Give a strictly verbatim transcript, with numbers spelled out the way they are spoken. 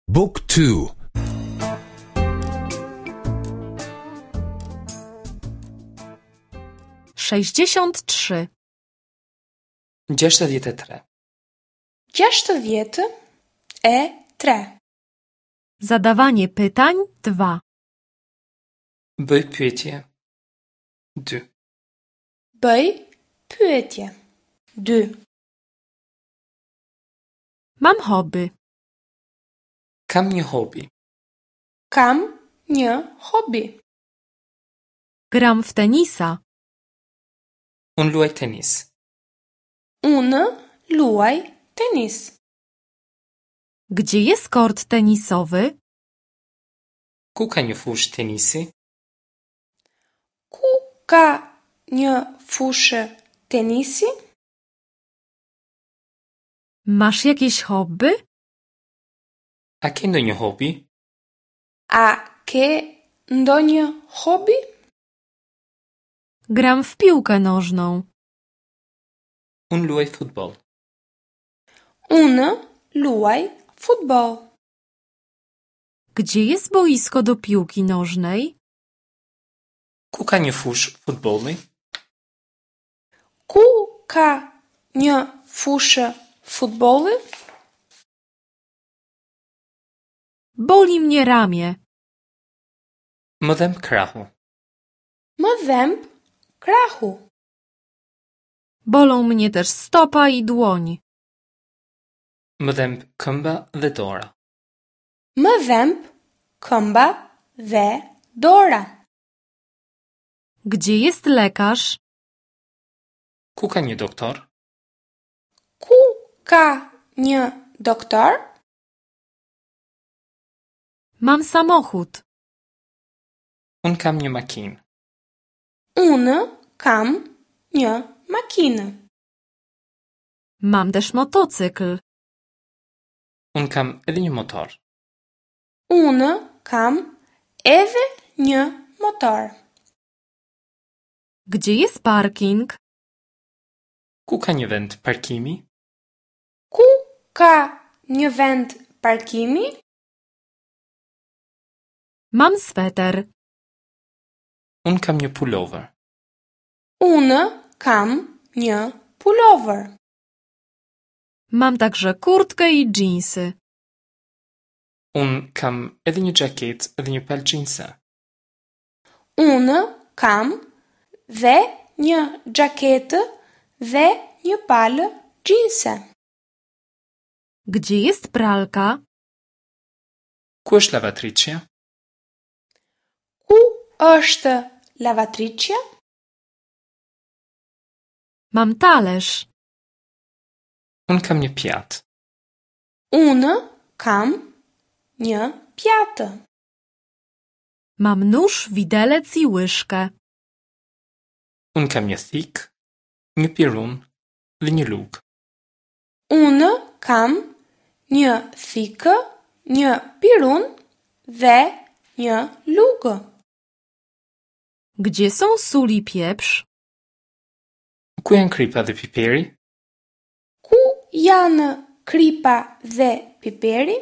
Book two. Sześćdziesiąt trzy. Gjashtëdhjetë e tre. Gjashtëdhjetë e tre. Zadawanie pytań dwa. Bëj pyetje. Dy. Bëj pyetje. Dy. Mam hobby. Kam një hobi. Kam një hobi. Gram w tenisa. Unë luaj tenis. Unë luaj tenis. Gdzie jest kort tenisowy? Ku ka një fushë tenisi? Ku ka një fushë tenisi? Masz jakieś hobby? A ke ndonjë hobi? A ke ndonjë hobi? Gram w piłkę nożną. Unë luaj futboll. Unë luaj futboll. Gdzie jest boisko do piłki nożnej? Ku ka një fushë futbolli? Ku ka një fushë futbolli? Boli mnie ramię. Më dhemb krahu. Më dhemb krahu. Bolą mnie też stopa i dłoń. Më dhemb këmba dhe dora. Më dhemb këmba dhe dora. Gdzie jest lekarz? Ku ka një doktor? Ku ka një doktor? Mam samochód. Unë kam një makinë. Unë kam një makinë. Mam też motocykl. Unë kam edhe një motor. Unë kam edhe një motor. Gdzie jest parking? Ku ka një vend parkimi? Ku ka një vend parkimi? Mam sweter. Unë kam një pullover. Unë kam një pullover. Mam także kurtkę i dżinsy. Unë kam edhe një xhaketë dhe një palë xhinse. Unë kam dhe një xhaketë dhe një palë xhinse. Gdzie jest pralka? Ku është lavatriçja? Ku është lavatriçja? Mam talerz. Unë kam një pjatë. Unë kam një pjatë. Mam nóż, widelec i łyżkę. Unë kam një thikë, një pirun dhe një lugë. Unë kam një thikë, një pirun dhe një lugë. Gdzie są sól i pieprz? Ku janë kripa dhe piperi? Ku janë kripa dhe piperi?